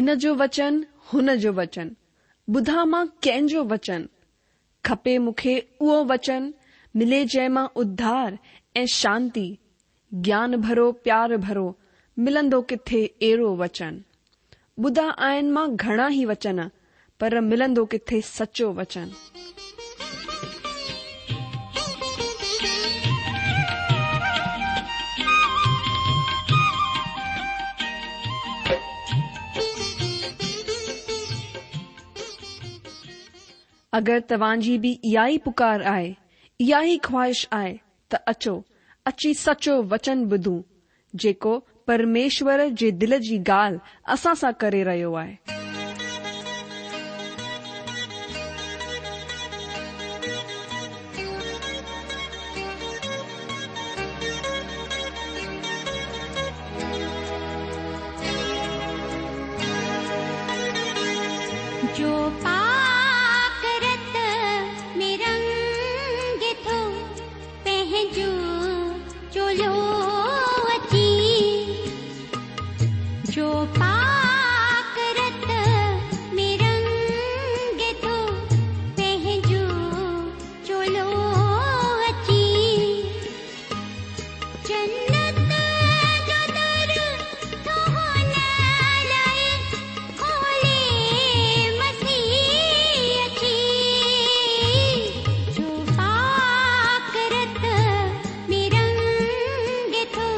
هن جو وچن، هن جو وچن، ٻڌان مان ڪنهن جو وچن؟ کپي مون کي اهو وچن، ملي جنهن مان اڌار ۽ شانتي، گيان ڀرو پيار ڀرو، ملندو ڪٿي اهڙو وچن؟ ٻڌا آهن مان گهڻا ئي وچن، پر ملندو ڪٿي سچو وچن؟ اگر توهان جي به اها ئي پڪار آهي، اها ئي خواهش آهي ته اچو، اچي سچو وچن ٻڌون، جيڪو پرميشور جي دل جي ڳالهه اسان سان ڪري رهيو آهي. جو پاڪ رت ۾ رنگي ٿو پنهنجو چولو اچي جو پاڪ رت ۾ رنگي ٿو پنهنجو چولو اچي جنت جو در ٿو هن لاء کولي مسيح اچي جو پاڪ رت ۾ رنگي ٿو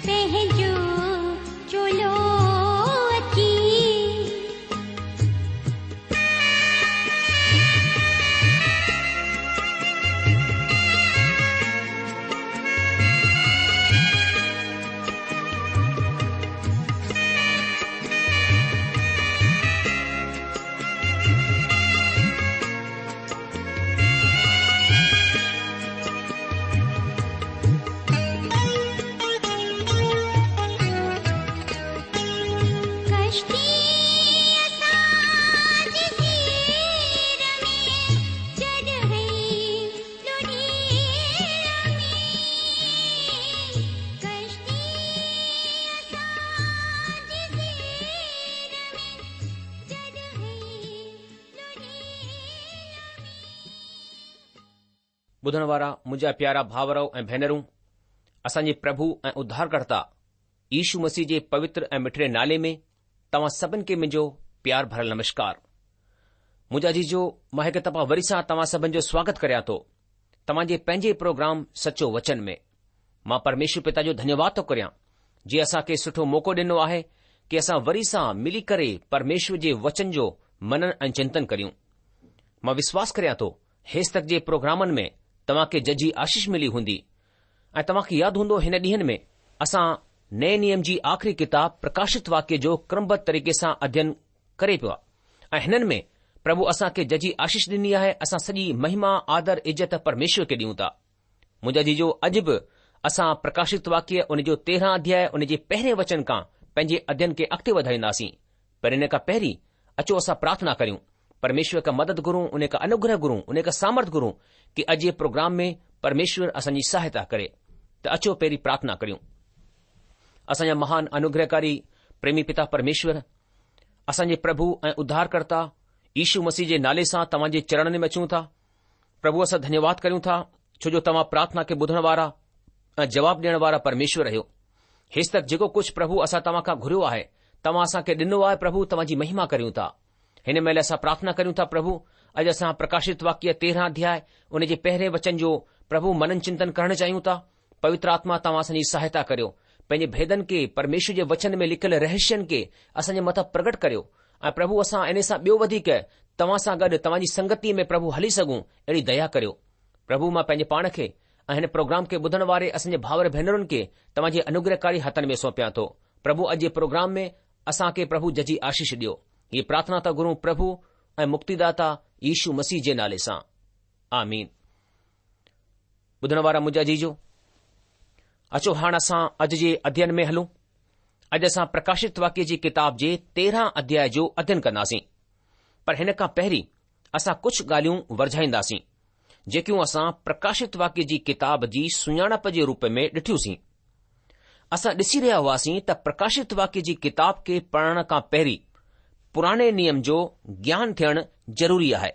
پنهنجو چولو اچي. ڪشتي اسان جي سير ۾ جڏهن لڙهي ۾ ڪشتي اسان جي سير ۾ جڏهن ٻڌڻ وارا منهنجا پيارا ڀائرؤ ۽ ڀينرون، اسان جي پرڀو ۽ اڌارڪرتا يشو مسيح جي پوتر ۽ مٺڙي نالي ۾ توهان سڀن کي منهنجو پيار ڀريل نمشڪار. منهنجا عزيزو، مان هڪ دفعا وري سان توهان سڀن جو سواگت ڪريان ٿو توهان جي پنهنجي پروگرام سچو وچن ۾. مان پرميشور پتا جو ڌنيواد ٿو ڪريان جنهن اسان کي سٺو موقعو ڏنو آهي ڪي اسان وري سان ملي ڪري پرميشور جي وچن جو منن ۽ چنتن ڪريون. مان وشواس ڪريان ٿو هيستڪ جي پروگرامن ۾ توهان کي ججهي آشيش ملي هوندي ۽ توهان کي ياد هوندو هن ڏينهن ۾ اسان نئين نيم جي آخري ڪتاب پرڪاشت واڪيه جو ڪرمبڌ طريقي سان اڌين ڪري پيا ۽ هنن ۾ پرڀو اسان کي ججهي آشيش ڏني آهي اسان سڄي مهما آدر عزت پرميشور کي ڏيون ٿا. منهنجا عزيزو اڄ به اسان پرڪاشت واڪيه ان جو تيرهن اڌياء ان جي پهرين وچن کان پنهنجي اڌين کي اڳتي وڌائينداسين پر ان کان پهرين اچو اسان پرارٿنا ڪريون پرميشور کان مدد گهرون ان کان انوگره گهرون ان کان سامرٿ گهرون ڪي اڄ جي پروگرام ۾ پرميشور اسان جي سهائتا ڪري ته اچو پهرين پرارٿنا ڪريون اسان جا مهان انوگرهڪاري پريمي پتا پرميشور اسان جي پرڀو ۽ اڌارڪرتا يشو مسيح جي نالي سان توهان جي چرڻن ۾ اچون ٿا پرڀو اسان ڌنيواد ڪريون ٿا ڇو جو توهان پرارٿنا کي ٻڌڻ وارا ۽ جواب ڏيڻ وارا پرميشور آهيو. هيستڪ جيڪو ڪجهه پرڀو اسان توهان کان گهريو آهي، توهان اسان کي ڏنو آهي پرڀو توهان جي مهما ڪريون ٿا. هن مهل اسان پرارٿنا ڪريون ٿا پرڀو اڄ اسان پرڪاشت واڪيه تيرهن اڌياء ان جي پهرين وچن جو پرڀو منن چنتن ڪرڻ چاهيون ٿا. پوتر آتما توهان اسان جي سهائتا ڪريو. پنهنجي ڀيدن کي، پرميشور جي وچن ۾ لکيل رهسين کي اسان جي مٿان پرگٽ ڪريو ۽ پرڀو اسان انهي سان ٻيو وڌيڪ توهان سان گڏ توهان جي سنگتيء ۾ پرڀو هلي سگهون اهڙي ديا ڪريو. پرڀو مان پنهنجي پاڻ کي ۽ هن پروگرام کي ٻڌڻ واري اسان جي ڀائر ڀينرن کي توهان جي انوگرهڪاري هٿن ۾ سونپيان ٿو. پرڀو اڄ جي پروگرام ۾ اسان کي پرڀو ججهي آشيش ڏيو. هيء پرارٿنا ٿا گهرون پرڀو ۽ مڪتيداتا يشو مسيح جي نالي سان. آمين. ٻڌڻ وارا منهنجا عزيزو، اچو هاڻ اسان اڄ جي اڌين ۾ هلون. اڄ اسان پرڪاشت واڪيه جي ڪتاب جي تيرهن اڌياء جو اڌين ڪنداسين. پر هن کان پهرين اسان ڪجهه ڳالهيون ورجائينداسين، جيڪيون اسان پرڪاشت واڪيه جي ڪتاب جي سڃاڻپ جي روپ ۾ ڏٺيوسين. اسان ڏسي رهيا هئاسين ته پرڪاشت واڪيه جي ڪتاب کي پڙهڻ کان پهرين پراڻي نيم جو گيان ٿيڻ ضروري آهي.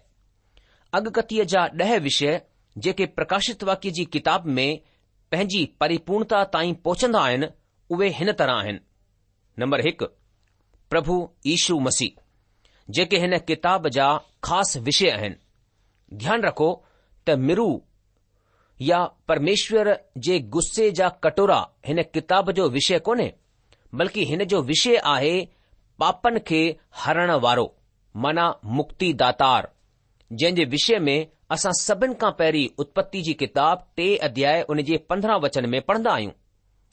اڳڪٿيء جا ڏهه وشيه جيڪي پرڪاشت واڪيه جي ڪتاب ۾ پنهنجي پريپورڻتا تائين پهچندا آهن، اهي هن طرح آهن. نمبر هڪ، پرڀو يشو مسيح، جيڪي هن ڪتاب جا خاص وشيه آهن. ڌيان رکو ته مرو يا پرميشور جي غصي جا ڪٽورا هن ڪتاب جو وشيه ڪونهي، بلڪه هن جو وشيه آهي پاپن کي هرڻ وارو معنيٰ مڪتي داتار، جنهن جي وشيه ۾ اسان سڀن کان پهرين اتپتي جي ڪتاب ٽي اڌياء ان جي 15 وچن ۾ پڙهندا آهيون،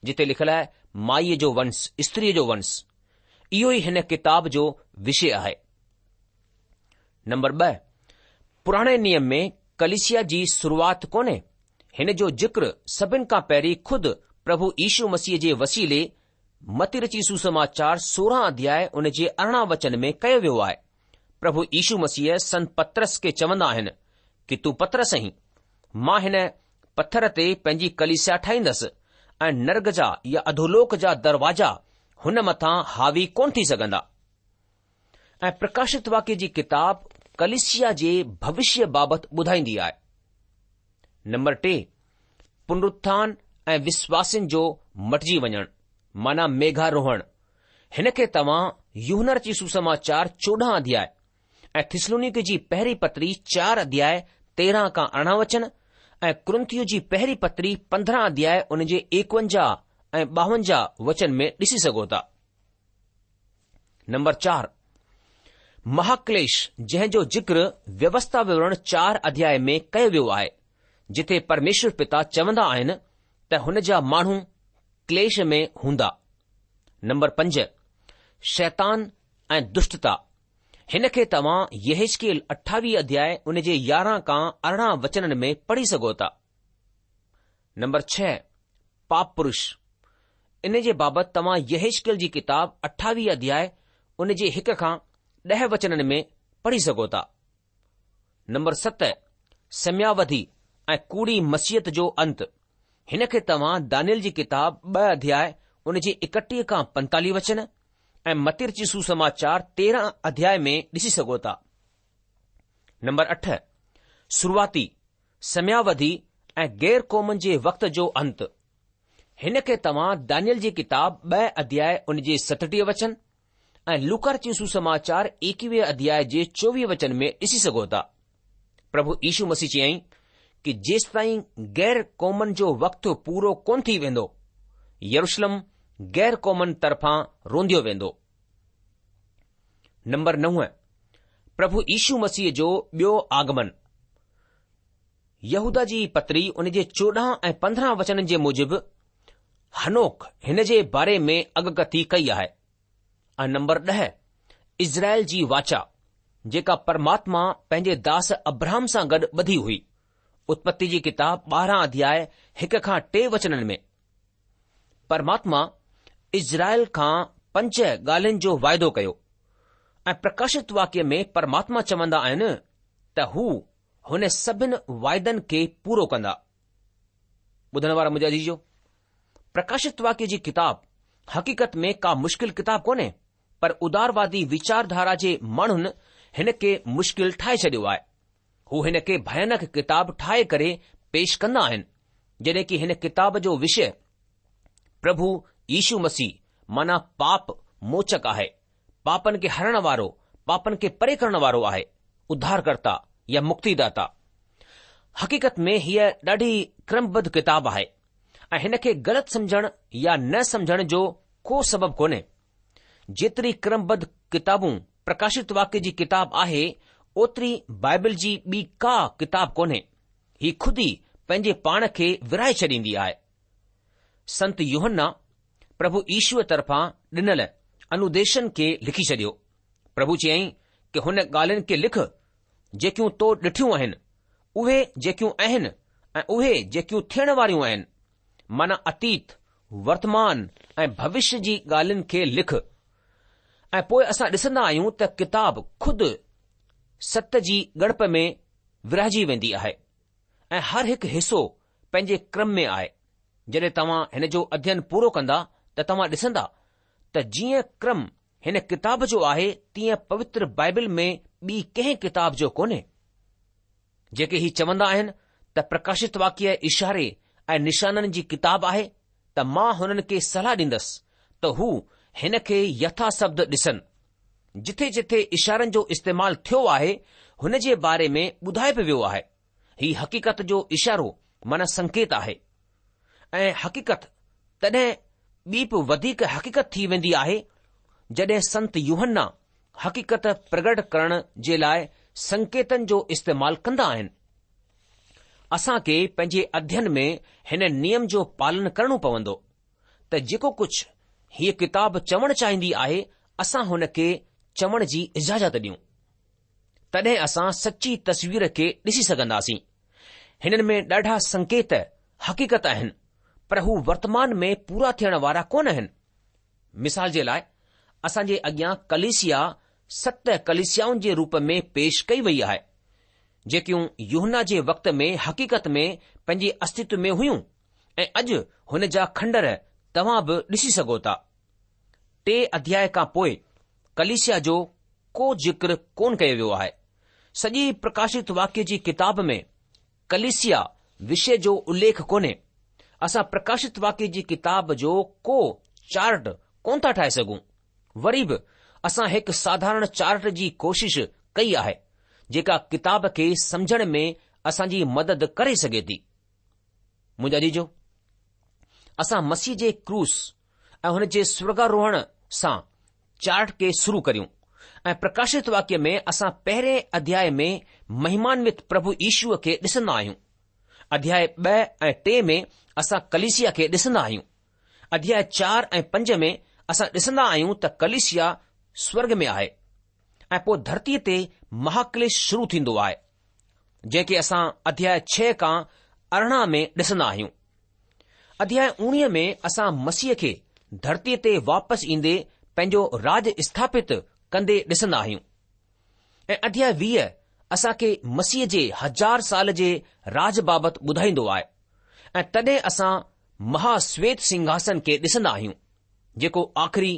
جتي لکيل آهي مائيء جو ونس، استريء جو ونس. اهو ئي هن ڪتاب جو وشيه آهي. نمبر ٻه، پراڻي نيم ۾ ڪليسيا جي شروعات ڪونهي. هن جو ذڪر سڀن کان پهرين خود پرڀو يشو مسيح جي وسيلي متي رچي سوسماچار 16 اڌياء ان جي 18 وچن ۾ ڪيو ويو آهي. پرڀو يشو مسيح سنت پطرس کي چوندا آهن ڪي تون پطرس آهين، مان هن پٿر تي پنهنجي ڪليسيا ٺاهيندس ۽ نرڳ جا يا اڌولوڪ جا دروازا هن مٿان حاوي ڪونه ٿي سگهندا. ۽ پرڪاشت واڪيه جي ڪتاب ڪليسيا جي ڀوشيه بابت ٻڌائيندي آهي. نمبر ٽي، پنرٿان ۽ وشواسين جو مٽجي وڃڻ معنيٰ ميگهاروهڻ. هن کي توهان يوحنا رچي سوسماچار 14 اڌياء ۽ ٿسلونيڪي جي پهرين پتري چار اڌياء 13 کان 18 وچن ۽ ڪرنٿيو جي پهرين پتري 15 اڌياء ان جي 51 ۽ 52 وچن ۾ ڏسي سگهو ٿا. نمبر چار، مهاڪليش جنهن جو ذڪر ويوسٿا وورڻ چار اڌياء ۾ ڪيو ويو آهي، جتي پرميشور پتا چوندا آهن ته هن جا ماڻهو ڪليش ۾ هوندا. نمبر پنج، شيطان ۽ دشٽتا، هن کي توهان يحيزڪيل اٺاويهه اڌياء ان جي يارهن کان ارڙهن وچنن ۾ پڙهي سگهو ٿا. نمبر ڇهه، پاپ پرش، ان جي بابت توهان يحيزڪيل جي ڪتاب اٺاويهه اڌياء ان جي هڪ کان ڏهه وچنن ۾ پڙهي سگهو ٿا. نمبر ست، سمياوڌي ۽ ڪوڙي مسيحت جو انت، هن کي توهان دانيل جي ڪتاب ٻه اڌياء ان جي ايڪٽيهه کان پنتاليهه وچن ۽ متي رچي سوسماچار تيرهن اڌياء ۾ ڏسي سگهو ٿا. نمبر اٺ، شروعاتي سمياوڌي ۽ غير قومن جي وقت جو انت. هن کي توهان دانيل جي ڪتاب ٻه اڌياء ان جي ستٽيهه وچن ۽ لوڪا رچي سوسماچار ايڪويهه اڌياء جي چوويهه وچن ۾ ڏسي سگهو ٿا. پرڀو يشو مسيح چيائين ڪي جيستائين غير قومن جو وقت پورو ڪونه ٿي ويندو، يروشلم غير قومن طرفان رونديو ويندو. نمبر نو، پرڀو يشو مسيح جو ٻيو آگمن. يهودا جي پتري ان جي 14 ۽ 15 وچنن جي موجب حنوڪ هن جي باري ۾ اڳڪٿي ڪئي آهي. ۽ نمبر 10 اسرائيل جي واچا جيڪا پرماتما پنهنجي داس ابراهم سان گڏ ٻڌي هئي. اتپتي جي ڪتاب 12 اڌياء 1 کان 3 وچنن ۾. پرماتما اسرائيل کان پنج ڳالهين جو واعدو ڪيو ۽ پرڪاشت واڪيه ۾ پرماتما چوندا آهن ته هو هن سڀن واعدن کي پورو ڪندا. ٻڌڻ وارا منهنجا عزيزو، پرڪاشت واڪيه جي ڪتاب حقيقت ۾ ڪا مشڪل ڪتاب ڪونهي پر اداروادي ويچارڌارا جي ماڻهن هن کي مشڪل ٺاهي ڇڏيو آهي. هو هن کي ڀيانڪ ڪتاب ٺاهي ڪري پيش ڪندا آهن، جڏهن ڪي هن ڪتاب جو وشيه پرڀو يشو مسيح معنيٰ پاپ موچڪ آهي، پاپن کي هرڻ وارو، پاپن کي پري ڪرڻ وارو آهي، اڌارڪرتا يا مڪتيداتا. حقيقت ۾ هيء ڏاڍي ڪرمبڌ ڪتاب آهي ۽ هن کي غلط سمجهڻ يا نه سمجهڻ جو ڪو سبب ڪونهي. جيتري ڪرمبڌ ڪتابون پرڪاشت واڪيه جي ڪتاب آهي اوتري بائبل جي ٻي ڪا ڪتاب ڪونهي. هي خود ئي پنهنجي پاڻ کي ورهائي ڇڏيندي آهي. سنت يوحنا پرڀو يشوء طرفان ڏنل انوديشن کي لکي ڇڏيو. پرڀو چيائين ڪي هن ڳالهين کي لک جيڪيون تو ڏٺيون آهن، اهي جيڪيون آهن ۽ اهي جيڪيون ٿيڻ واريون آهن. معنيٰ اتيت، ورتمان ۽ ڀوشيه جي ڳالهين کي لک. ۽ پوء اسان ڏسندا آهيون ته ڪتاب خود ست جي ڳڻپ ۾ ورهائجي ويندي آهي ۽ هر هڪ حصو پنهنجي ڪرم ۾ آهي. جڏهن توهان هن جو اڌين پورو ڪندا ته توهان ڏسندا ته جيئن ڪرم. هن ڪتاب جو آهي تيئن پوتر بائبل ۾ ٻي ڪنهن ڪتاب جو ڪونهي. جيڪي هي چوندا آهن ته پرڪاشت واڪيه اشاري ۽ نشانن جي ڪتاب آهي ته مان هنن کي صلاح ڏيندس ته هو هن کي يٿا شبد ڏسن. جٿي جٿي اشارن جو استعمال ٿيو آهي هن جي باري ۾ ٻڌايو به ويو آهي. هي حقيقت جو اشارو معنيٰ سنڪيت آهي ۽ حقيقت تڏهن ٻي به وڌيڪ حقيقت ٿي ويندي آهي جڏهن سنت يوحنا حقيقت پرگٽ ڪرڻ جي لاء سنڪيتن جو استعمال ڪندا آهن. اسان کي پنهنجي اڌين ۾ هن نيم جو پالن ڪرڻو پوندو ته جيڪو ڪجهه هيء ڪتاب چوڻ چاهيندي آهي اسان هن کي چوڻ جي اجازت ڏيون. تڏهن اسان سچي تصوير کي ڏسي سگهنداسين. هنن ۾ ڏاڍا سنڪيت حقيقت آهن پر هو ورتمان ۾ پورا ٿيڻ وارا ڪونه آهن. مثال جي لاء، اسان جي اڳيان ڪليسيا ست ڪليسيائن جي روپ ۾ پيش ڪئي وئي آهي، جيڪيون يوحنا جي وقت ۾ حقيقت ۾ پنهنجي استتو ۾ هيون ۽ اڄ هن جا کنڊر توهان به ڏسي سگهو ٿا. ٽي اڌياء کان پوء ڪليسيا جو ڪو ذڪر ڪونه ڪيو ويو آهي. سڄي پرڪاشت واڪيه جي ڪتاب ۾ ڪليسيا وشي جو اليک ڪونهي. اسان پرڪاشت واڪيه جي ڪتاب جو ڪو چارٽ ڪونه ٿا ٺاهي سگهون. وري به اسان هڪ ساڌارڻ چارٽ جي ڪوشش ڪئي آهي، جيڪا ڪتاب کي سمجهڻ ۾ اسان جي مدد ڪري سگهي ٿي. منهنجا عزيزو، اسان مسيح جي ڪروس ۽ هن جي سورڳاروهڻ سان چارٽ کي شروع ڪريون ۽ پرڪاشت واڪيه ۾ اسان پهرين اڌياء ۾ مهمانوت پرڀو يشوء کي ڏسندا آهيون. اڌياء 2 ۽ 3 ۾ اسان ڪليسيا کي ڏسندا آهيون. اڌياء 4 ۽ 5 ۾ اسان ڏسندا آهيون ته ڪليسيا سورڳ ۾ آهي ۽ پوء ڌرتيء تي مهاڪليش شروع ٿيندو آهي، جنهن کي اسان اڌياء 6 کان 18 ۾ ڏسندا آهيون. اڌياء اوڻيهه ۾ اسان مسيح کي ڌرتيء تي واپس ايندي پنهنجو راڄ اسٿاپت ڪندي ڏسندا آهيون ۽ اڌياء 20 اسان کي مسيح جي هزار سال جي راڄ بابت ٻڌائيندو آهي ۽ تڏهن اسان مها شويت سنگهاسن کي ڏسندا آهيون جيڪو آخري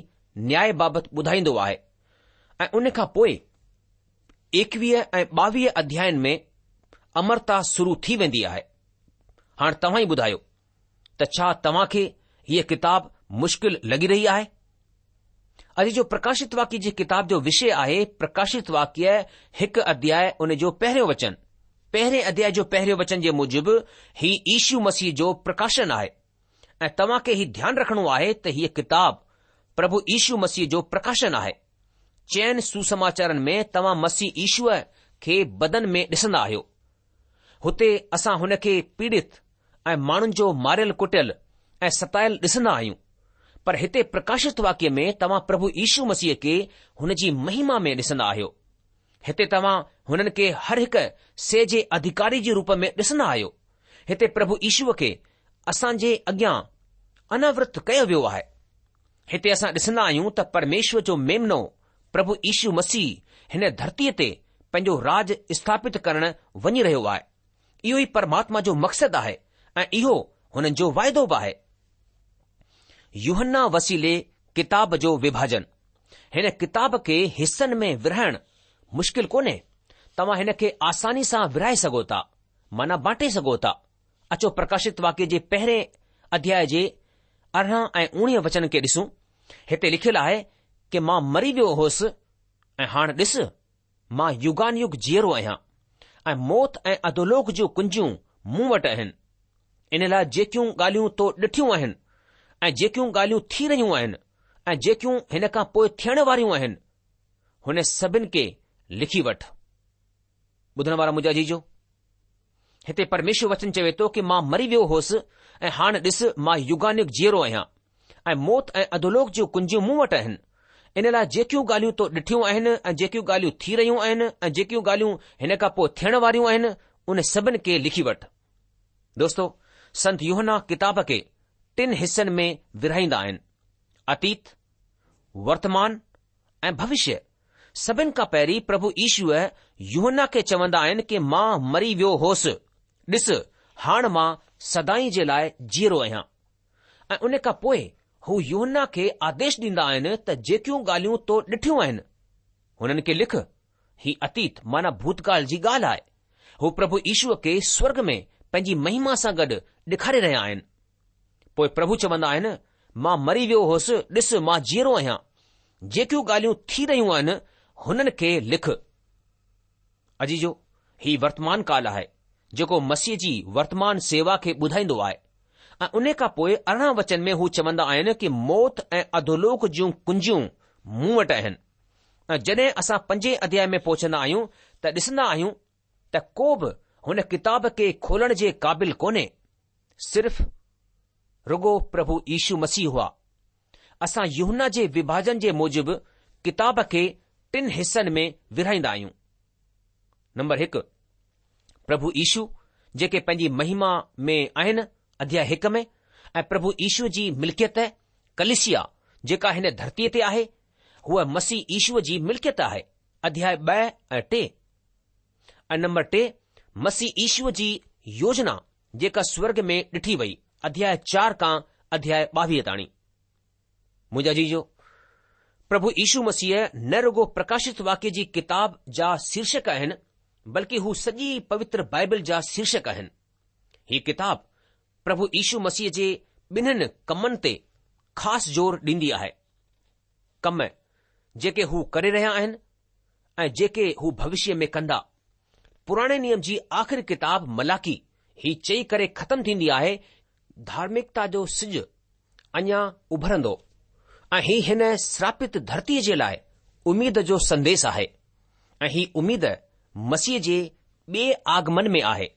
نياء بابت ٻڌائيندو آهي ۽ ان کان پوء ايڪويهه ۽ ٻاويهه اڌيائن ۾ امرتا شروع ٿي ويندي آهي. هاڻ توهان ئي ٻڌايو ته ڇا توهان کي هيء ڪتاب مشڪل لڳي رهي آهي؟ اڄ جو پرڪاشت واڪيه جي ڪتاب جو وشي آهي پرڪاشت واڪيه هڪ اڌياء ان جو پهريون وچن. پهرين اڌياء جو پهريون وچن جي موجب هي يشو مسيح جو پرڪاشن آهي ۽ توهان کي هي ڌيان رکڻو آهي ته هيء ڪتاب پرڀو يشو مسيح جو پرڪاشن آهي. چئن سوسماچارن ۾ توهان مسيح يشوء کي بدن ۾ ڏسندا آهيو. هتي اسان هن کي پيڙت ۽ ماڻهن جو ماريل ڪٽيل ۽ ستايل ڏسندا آهيون. پر هتي پرڪاشت واڪيه ۾ توهان پرڀو يشو مسيح کي هن جي مهما ۾ ڏسندا آهيو. هتي توهان هنن کي هر هڪ شيء جي اڌڪاري جي روپ ۾ ڏسندا آهيو. هتي پرڀو يشوء کي اسان جي اڳيان اناورت ڪيو ويو آهي. هتي اسان ڏسندا آهيون ته پرميشور جو ميمنو پرڀو يشو مسيح هن ڌرتيء تي پنهنجو راڄ اسٿاپت ڪرڻ وڃي رهيو آهي. اهو ئي پرماتما جو مقصد آهي ۽ اهو هنن جو واعدو به آهي. يوحنا وسيلي ڪتاب جو وڀاجن. هن ڪتاب کي حصن ۾ ورهائڻ مشڪل ڪونهي. توهان هن کي آساني سان ورهائي سگهو ٿا، معنيٰ بانٽي سگهو ٿا. اچو پرڪاشت واڪيه جي پهرين اڌياء جي 18 ۽ 19 وچن کي ڏسون. هتي لکيل آهي ڪه مان مري ويو هوس ۽ هاڻ ڏس، مان يگان يگ جيئرو آهيان ۽ موت ۽ اڌولوڪ جون ڪنجيون مون وٽ آهن. ان لاء جيڪيون ڳالهيون تو ڏٺيون آهن ۽ جيڪيون ڳالهيون ٿي رهيون آهن ۽ جيڪيون هن کان پوء ٿيڻ واريون آهن، هن سڀن کي لکي وٺ. ٻڌڻ وارا منهنجا عزيزو! هتي پرميشور وچن چوي ٿو ڪه مان مري ويو هوس ۽ هاڻ ڏس مان يگان يگ جيئرو آهيان ۽ موت ۽ اڌولوڪ جون ڪنجيون مون وٽ آهن. ان لاء جيڪيون ڳالهيون تو ڏٺيون آهن ۽ جيڪيون ڳالهيون ٿي رهيون آهن ۽ جيڪيون ڳالهيون هن کان پوء ٿيڻ واريون آهن ان سڀن کي لکي وٺ. دوستو سنت يوحنا ڪتاب کي ٽن حصن ۾ ورهائيندا آهن، اتيت، ورتمان ۽ ڀوشيه. سڀن کان پهرين پرڀو يشوء يوحنا کي چوندا آهن ڪه مان مري ويو هوس، ڏس هاڻ مان سدائين جي لاء جيئرو آهيان. ۽ ان کان پوء هو يوحنا کي آديش ڏيندا آهن ته جيڪيون ڳالهيون تو ڏٺيون آهن، هنن کي لک. هي اتيت معنيٰ ڀوتڪال جي ڳالهه آهي. هو پرڀو يشوء کي سورڳ ۾ پنهنجي مهما سان گڏ ڏيکاري رهيا آهن. پوء پرڀو چوندا آهن، مان مري ويو هوس، ڏس مان جيئرو آهيان. جيڪيون ڳالهيون ٿي رهيون آهن، هنن کي لک. عزيزو! هي ورتمان ڪال آهي، جيڪو مسيح جي ورتمان سيوا کي ٻڌائيندو آهي ۽ انهي کان پوء 18 وچن ۾ هو چوندا آهن ڪي موت ۽ اڌولوڪ جون ڪنجيون مون وٽ آهن ۽ جڏهن اسان پنجين اڌياء ۾ پهچندا آهيون ته ڏسندا آهيون ته ڪو به هن ڪتاب کي کولڻ جي قابل ڪونهي صرف رڳو پرڀو يشو مسيح هئا. اسان يوحنا جي وڀاجن جي موجب ڪتاب کي ٽن حصن ۾ ورهائيندا آهيون. نمبر هڪ، پرڀو يشو جيڪي پنهنجي مهما ۾ آهن، اڌياء هڪ ۾، ۽ پرڀو يشو جي ملڪيت، ڪليسيا، جيڪا هن ڌرتيء تي آهي، هوء مسيح يشو جي ملڪيت آهي، اڌياء 2 ۽ 3. ۽ نمبر ٽي، مسيح يشو جي يوجنا جيڪا سورڳ ۾ ڏٺي وئي، اڌياء چار کان اڌياء 22 تاڻي. منهنجا عزيزو، پرڀو يشو مسيح نه رڳو پرڪاشت واڪيه جي ڪتاب جا شيرشڪ آهن، بلڪه هو سڄي پوتر بائبل جا شيرشڪ آهن. هي ڪتاب پرڀو يشو مسيح جي ٻنهن ڪمن تي خاص زور ڏيندي آهي. ڪم جيڪي هو ڪري رهيا آهن ۽ جيڪي هو ڀوشيه ۾ ڪندا. پراڻي نيم جي آخري ڪتاب ملاڪي هي چئي ڪري ختم ٿيندي آهي، ڌارمڪتا جو سج اڃا اڀرندو ۽ هي هن سراپت ڌرتيء جي لاء اميد جو سنديس آهي ۽ هي اميد مسيح جي ٻئي آگمن ۾ آهي.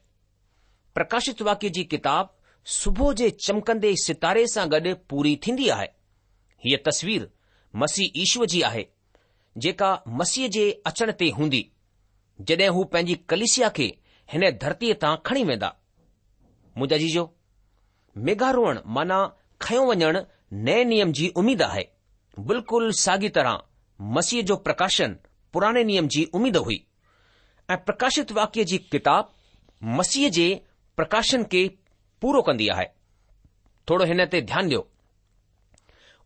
پرڪاشت واڪيه جي ڪتاب صبح جي چمڪندي ستاري سان گڏ پوري ٿيندي آهي. هيء تصوير مسيح يشوء جي آهي، جيڪا مسيح جي اچڻ تي هوندي، جڏهن هو پنهنجي ڪليسيا کي هن ڌرتيء تان کڻي ويندا. منهنجا عزيزو، ميگهاروهڻ معنيٰ کنيو وڃڻ نئين نيم جي اميد آهي. بلڪل ساڳي طرح مسيح جو پرڪاشن پراڻي نيم جي اميد هئي ۽ پرڪاشت واڪيه جي ڪتاب مسيح جي پرڪاشن کي پورو ڪندي آهي. ٿورو هن تي ڌيان ڏيو.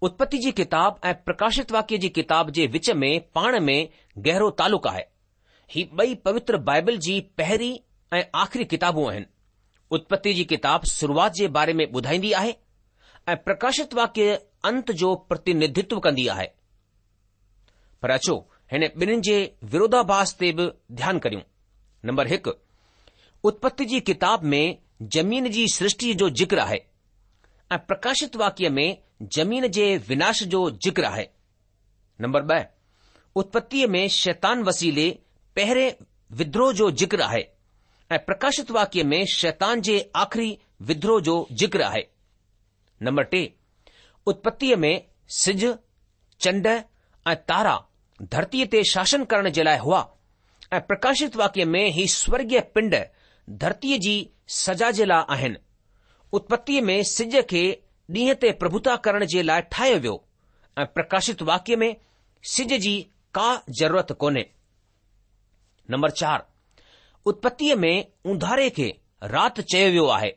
اتپتي جي ڪتاب ۽ پرڪاشت واڪيه جي ڪتاب جي وچ ۾ پاڻ ۾ گهرو تعلق آهي. هي ٻئي پوتر بائبل جي پهرين ۽ آخري ڪتابون آهن. اتپتي جي ڪتاب شروعات جي باري ۾ ٻڌائيندي آهي ۽ پرڪاشت واڪيه انت جو پرتينڌتو ڪندي آهي. پر اچو هن ٻنهين جي وروڌاڀاس تي به ڌيان ڪريون. نمبر هڪ، اتپتي جي ڪتاب ۾ زمين جي سرشٽيء جو ذڪر آهي ۽ پرڪاشت واڪيه ۾ زمين جي وناش جو ذڪر آهي. نمبر 2، اتپتيء ۾ شيطان وسيلي پهرين ودروهه جو ذڪر آهي ۽ پرڪاشت واڪيه ۾ شيطان جي آخري ودروهه جو ذڪر آهي. نمبر 3، اتپتيء ۾ سج، چنڊ ۽ تارا ڌرتيء تي شاسن ڪرڻ جي لاء هئا ۽ پرڪاشت واڪيه ۾ هي سورڳيه پنڊ ڌرتيء جي سزا جي لاء آهن. اتپتيء ۾ سج کي ڏينهن تي پرڀوتا ڪرڻ جي لاء ٺاهيو ويو ۽ پرڪاشت واڪيه ۾ سج جي ڪا ضرورت ڪونهي. نمبر 4، اتپتيء ۾ اونڌاري کي رات چيو ويو آهي.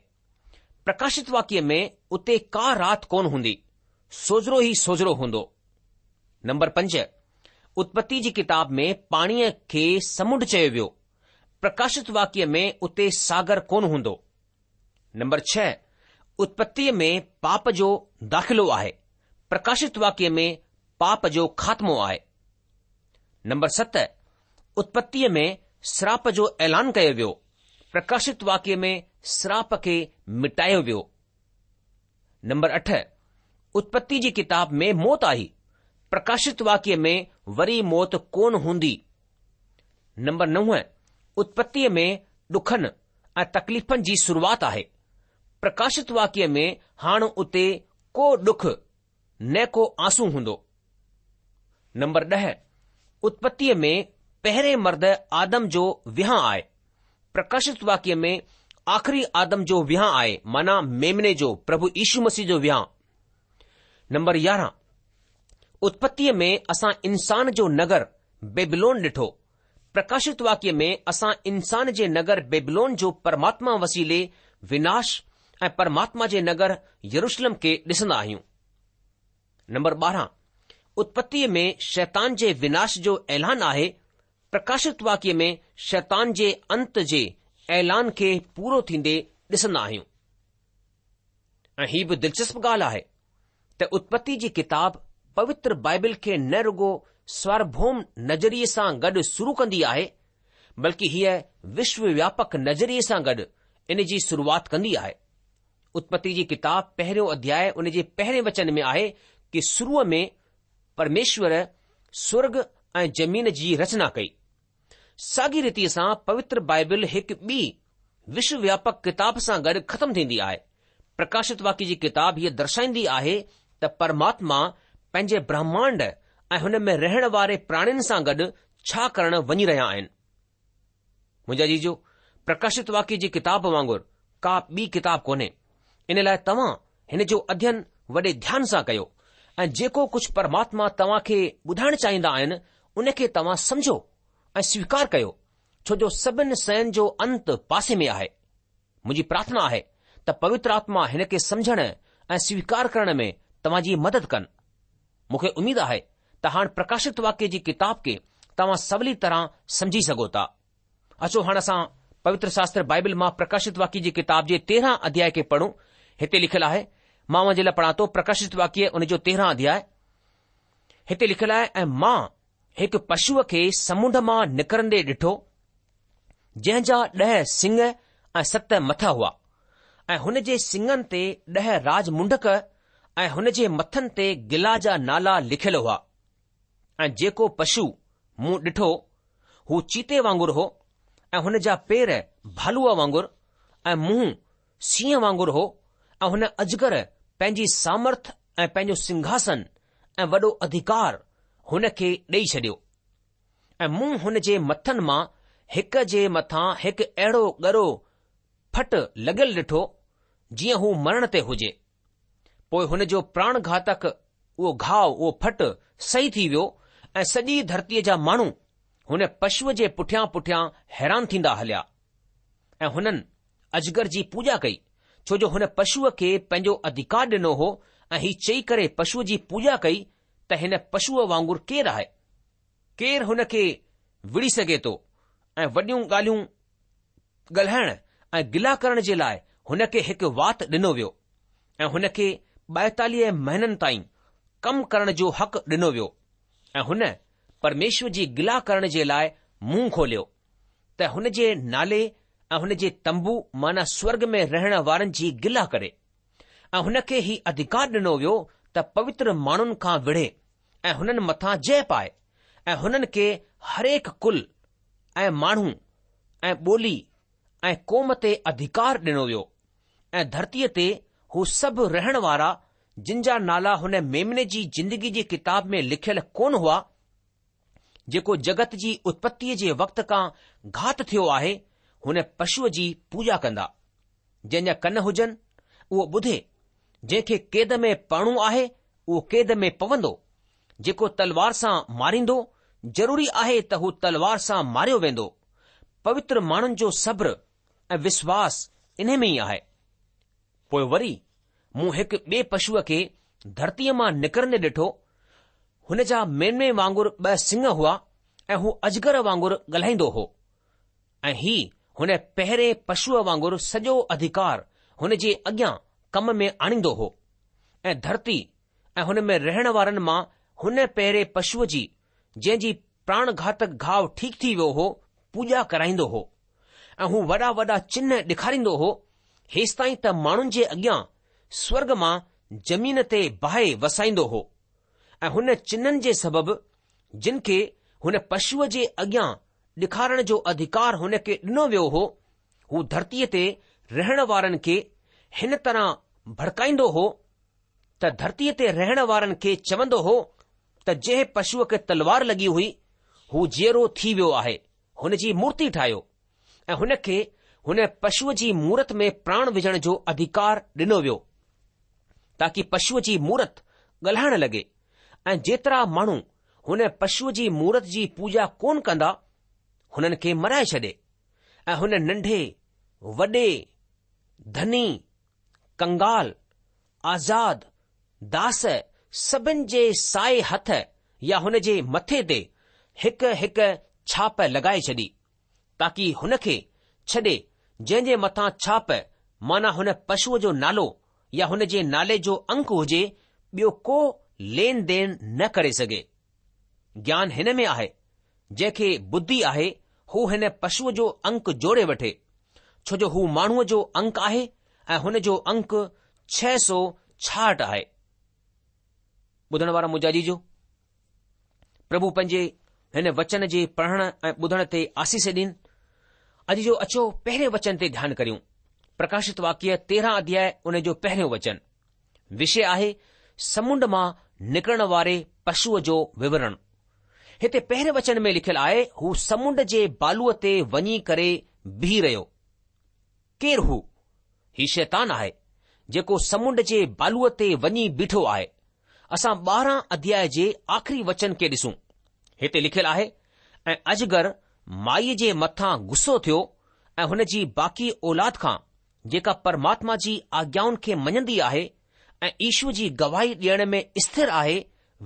پرڪاشت واڪيه ۾ اتي ڪا رات ڪونه هوندي، سوجهرو ئي سوجهرو هوندو. نمبر 5، اتپتي جي ڪتاب ۾ پاڻيء کي سمنڊ چيو ويو، پرڪاشت واڪيه ۾ اتي ساگر ڪونه هوندو. نمبر 6، اتپتيء ۾ پاپ جو داخلو آهي، پرڪاشت واڪيه ۾ پاپ جو خاتمو آهي. نمبر 7، اتپتيء ۾ سراپ جو اعلان ڪيو ويو، پرڪاشت واڪيه ۾ سراپ کي مٽايو ويو. نمبر 8، اتپتي جي ڪتاب ۾ موت آئي، پرڪاشت واڪيه ۾ وري موت ڪونه هوندي. نمبر 9، اتپتيء ۾ ڏکن ۽ تڪليفن جي شروعات آهي. پرڪاشت واڪيه ۾ هاڻ اتي ڪو ڏک نه ڪو آنسو هوندو. نمبر 10، اتپتيء ۾ پهرين مرد آدم جو وهانء آهي. پرڪاشت واڪيه ۾ آخري آدم جو وهانء آهي معنيٰ ميمني جو، پرڀو يشو مسيح جو وهانء. نمبر 11، اتپتيء ۾ اسان انسان جو نگر بيبلون ڏٺو. پرڪاشت واڪيه ۾ اسان انسان جي نگر بيبلون جو پرماتما وسيلي وناش ۽ پرماتما جي نگر يروشلم کي ڏسندا آهيون. نمبر 12، اتپتيء ۾ شيطان جي وناش جو اعلان آهي، پرڪاشت واڪيه ۾ شيطان جي انت جي اعلان کي پورو ٿيندي ڏسندا آهيون. ۽ هي به دلچسپ ڳالهه آهي ته اتپتي جي ڪتاب پوتر بائبل کي نه رڳو سوارڀوم نظريي سان گڏ شروع ڪندي آهي بلڪه هيء وشو وياپڪ نظريي سان گڏ ان جي شروعات ڪندي آهي. اتپتي جي ڪتاب پهريون اڌياء ان جي پهرين وچن ۾ آهي ڪه شروع ۾ پرميشور سورڳ ۽ زمين جي رچنا ڪئي. ساڳي ريتيء سان پوتر بائبل هڪ ٻي وشو وياپڪ ڪتاب سان گڏ ختم ٿيندي آهي. پرڪاشت واڪيه جي ڪتاب هيء درشائيندي آهي ته پرماتما پنهنجي برهمانڊ ۽ هن ۾ رهڻ واري پراڻين سان گڏ ڇا ڪرڻ وڃي رهيا آهن. منهنجا عزيزو، پرڪاشت واڪيه جي ڪتاب وانگر ڪا ٻي ڪتاب ڪونهي. ان لاء توهان هن جو اڌين وڏي ڌيان سان ڪيو ۽ جيڪو ڪجهه پرماتما توهان کي ٻڌائڻ چاهيندا آهن، ان کي توهان سمجهو ۽ سويڪار ڪيو، ڇو جو سڀن شين جو انت پاسي ۾ آهي. منهنجي پرارٿنا آهي ته پوتر آتما هن کي سمجهڻ ۽ سويڪار ڪرڻ ۾ توهان جي مدد ڪن. مون کي اميد آهي ته هاڻ پرڪاشت واڪيه جي ڪتاب کي توهان سولي طرح سمجهي سگهو ٿا. اچو هاڻ اسان پوتر شاستر بائبل مان پرڪاشت واڪيه جي ڪتاب جي تيرهن اڌياء کي پڙهون. هتي لکيل آهي، مان اوهان جي لاء پڙهان ٿو پرڪاشت واڪيه ان جو 13 اڌياء. هتي لکيل آهي ۽ مان هڪ پشوء کي سمنڊ مان نڪرندي ڏٺو، جنهن جا ڏهه سڱ ۽ ست مٿا هئا ۽ هن جي سڱن تي ڏهه راج منڊڪ ۽ هن جي مٿن تي گلا جا نالا لکيل هئا ۽ جيڪو پشو مون ڏٺو هو چيتي وانگر هو ۽ هن جا پير ڀالوء وانگر ۽ منهن سينهن وانگر هو ۽ هن اجگر پنهنجي سامرٿ ۽ پنهنجو سنگهاسن ۽ وڏو اڌڪار هن کي ڏيئي ڇڏيو. ۽ مون هن جي مٿن مان هڪ جي مٿان هڪ اهڙو ڳرو ڦٽ لڳل ڏٺو، جيئن هو مرڻ تي هجي. پوء هن جو پراڻ گهاتڪ اهو گهاء، اهو ڦٽ، صحيح ٿي ويو ۽ سڄي ڌرتيء جا ماڻهو هن پشوء جي پٺيان پٺيان حيران ٿيندا هليا ۽ هنن اجگر جي پوڄا ڪئي، ڇو جو هن پشوء کي پنهنجو اڌڪار ڏنو هو ۽ هي چئي ڪري پشوء جي پوڄا ڪئي ته هن پشوء وانگر ڪير آهي؟ ڪير هن کي وڙهي سگهي ٿو؟ ۽ وڏيون ڳالهيون ڳالهائڻ ۽ گلا ڪرڻ جي لاء هن کي هڪ وات ڏنو ويو ۽ هن کي 42 مهينن تائين ڪم ڪرڻ جو حق ڏنو ويو ۽ هن پرميشور جي گلا ڪرڻ جي لاء منهن کوليو ته هن جي نالي ۽ هن جي تنبو معنيٰ سورڳ ۾ رهڻ وارن جي گلا ڪري. ۽ هن کي هي اڌڪار ڏنو ويو ته پوتر ماڻهن کان وڙهي ۽ هنن مٿان جئه پائي ۽ هنن کي هرهڪ ڪل ۽ ماڻهو ۽ ٻولي ۽ قوم تي اڌڪار ڏنو ويو ۽ ڌرتيء تي هو سڀ رهڻ وارا جن جا نالا هن ميمني جي زندگي جي ڪتاب ۾ لکيل ڪونه هئا جيڪو جڳت جي اتپتيء جي وقت کان گهات ٿيو آهي، هن پشوء جي پوڄا ڪندا. جنهن جا ڪن هجن، اهو ٻڌي. جنهن کي قيد ۾ پوڻو آهي، اهو قيد ۾ پوندو. جيڪو تلوار سان ماريندو، ضروري آهي ته هو تلوار سان ماريو ويندو. پوتر ماڻهن جو صبر ۽ وشواس انهي ۾ ئي آهي. پوء وري مون هڪ ٻئي پشوء کي ڌرتيء مان نڪرندي ڏٺو. هن جا ميمني وانگر ٻه سڱ هئا ۽ هو اجگر وانگر ڳالهائيندو هو ۽ هي هن پهرين پشوء وانگر سڄو اڌڪار هن جي اڳيان ڪم ۾ آڻيندو هو ۽ ڌرتي ۽ هن ۾ رهڻ وارن مان هن پهرين پشوء جي جنهن جي پراڻ گهاتڪ گهاء ٺيڪ ٿي ويو هو، پوڄا ڪرائيندو هو ۽ هو وڏا وڏا چنهه ڏيکاريندو هو، هيستائين ته ماڻهن جي اڳيان سورڳ مان زمين تي باهه وسائيندو هو ۽ هن چنهن جي سبب جن کي هن پشوء جي اڳيان ڏيکارڻ جو اڌڪار هن کي ڏنو ويو هو، هو ڌرتيء تي رهڻ وارن کي هن طرح ڀڙڪائيندو هو ته ڌرتيء تي رهڻ وارن کي چوندو هو ته جنهن پشوء کي تلوار لڳي هئي، هو جيئرو ٿي ويو آهي، هن جي مورتي ٺاهيو ۽ هن کي هن پشوء جي مورت ۾ پراڻ وجهڻ جو اڌڪار ڏنو ويو، تاڪي پشوء جي مورت ڳالهائڻ لڳي ۽ جيترا ماڻهو هن پشوء جي مورت جي پوڄا ڪونه ڪندا، هنن کي مرائي ڇڏي ۽ هن ننڍي، وڏي، ڌني، ڪنگال، آزاد، داس. سڀن جي سائي هٿ يا هن جي مٿي تي هڪ هڪ ڇاپ لڳائي ڇڏي، تاڪي هن کي ڇڏي جنهن جي مٿان ڇاپ معنيٰ هن پشوء جو نالو يا هن جي نالي جو انڪ هجي، ٻيو ڪو لين دين نه ڪري سگهي. گيان هن ۾ آهي، جنهن کي ٻڌي آهي هو هن پشوء جو انڪ جوڙي وٺي، ڇو جو هو ماڻهوء جو انڪ آهي ۽ هن جو انڪ 666 آهي. ٻڌڻ وارا منهنجا عزيزو، پرڀو پنهنجي هن وچن جي پڙهڻ ۽ ٻڌڻ تي آسيس ڏين. عزيزو اچو پهرين وچن تي ڌيان ڪريون. پرڪاشت واڪيه 13 اڌياء ان جو پهريون وچن. وشي آهي سمنڊ مان نڪرڻ واري پشوء جو وورڻ. هتي پهرين وچن ۾ لکيل آهي هو سمنڊ جي بالوء تي وڃي ڪري بيهي رهيو. ڪير هو؟ هي شيطان آهي، جيڪو سمنڊ جي بالوء تي وڃي بيٺو آهي. اسان 12 اڌياء جي آخري وچن کي ڏسون. هتي لکيل آهي، ۽ اجگر مائيء جي مٿان غصو ٿيو ۽ هن جي باقي اولاد کان، جيڪا پرماتما جي آگيائن کي مڃندي آهي ۽ يشوء جي گواهي ڏيڻ ۾ اسٿر آهي،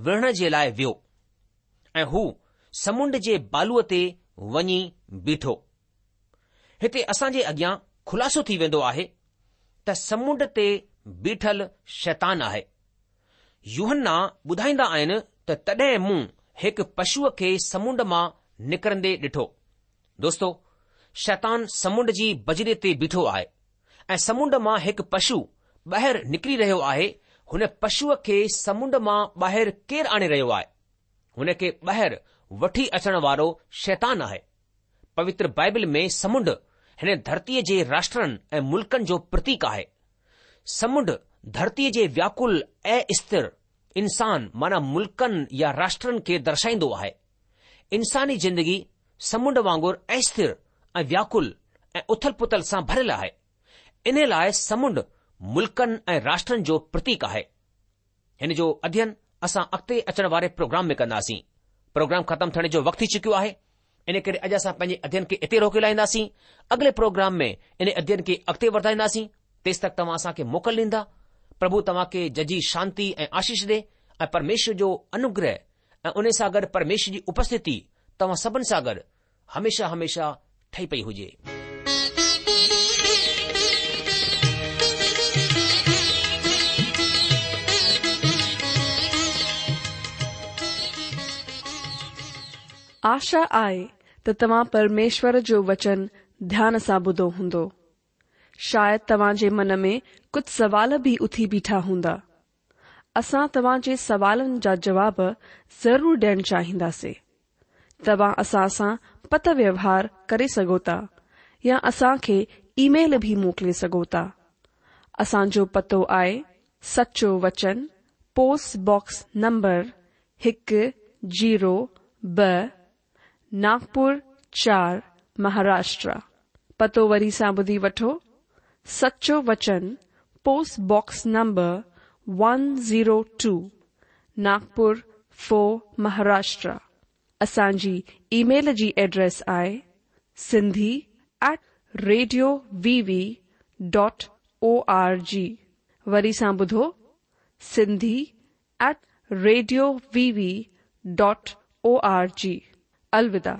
وڙهڻ جي لاء ويو. ۽ هو سمنڊ جي بالوء تي وڃي بيٺو. هتي اسان جي اڳيان خلاصو ٿي ويندو آهي ته سمنڊ تي بيٺل شيطان آهي. يوحنا ٻڌائيندا آهن ته تڏهن مون هڪ پشوء کي سمنڊ مان نڪرندي ڏٺو. دوستو، شيطان سمنڊ جي بجري تي بيٺو آهي ۽ سمنڊ مان هڪ پشو ٻاهر نڪري رهيو آهي. هن پشوء کي سمنڊ مان ٻاهر ڪير آڻي رهيو آهي؟ هن کي ٻاهر وٺي اچڻ وارو شيطان آهي. پوتر بائبل ۾ سمنڊ هن ڌرتيء جي راشٽرن ۽ ملڪن جو پرتيڪ آهي. سمنڊ ڌرتيء جي وياڪل استر انسان معنيٰ ملڪن يا راشٽرن کي درشائيندو آهي. انساني زندگي سمنڊ وانگر استر ۽ وياڪل ۽ اٿل پٿل سان ڀريل آهي. انهي لاء سمنڊ ملڪن ۽ راشٽرن جو پرتيڪ آهي. هن جو اڌين اسان اڳتي اچڻ واري پروگرام ۾ ڪنداسين. پروگرام ختم ٿيڻ جو وقت ٿي چڪيو آهي، ان ڪري اڄ اسان پنهنجي اڌين کي اتي روڪي لاهينداسين. اڳلي پروگرام ۾ ان اڌين کي اڳتي وڌائينداسين. تيستڪ توهان اسان کي موڪل ڏيندا. پرڀو توهان کي ججهي شانتي ۽ آشيش ڏي ۽ پرميشور جو انوگره ۽ ان سان گڏ پرميشور جي اپسٿتي توهان سڀن سان گڏ هميشه هميشه ٺهي پئي هجي. آشا آهي ته توهان پرميشور جو وچن ڌيان سان ٻڌو هوندو. شايد توهان جي من ۾ ڪجهه سوال به اٿي بيٺا هوندا. اسان توهان جي سوالن جا جواب ضرور ڏيڻ چاهينداسين. توهان اسان سان پتر ويوهار ڪري سگهو ٿا يا اسان کي اي ميل به موڪلي سگهو ٿا. اسان جو پتو آهي سچو وچن پوسٽ باڪس نمبر هڪ زيرو ٻه ناگپور چار مهاراشٽرا. پتو وري سان ٻڌي وٺو سچو وچن post box number one zero two Nagpur four Maharashtra. اسان جي اي ميل جي ايڊريس آهي Sindhi at radio V V dot O R G وري سان ٻڌو Sindhi at radio V V dot O R G. الوداع.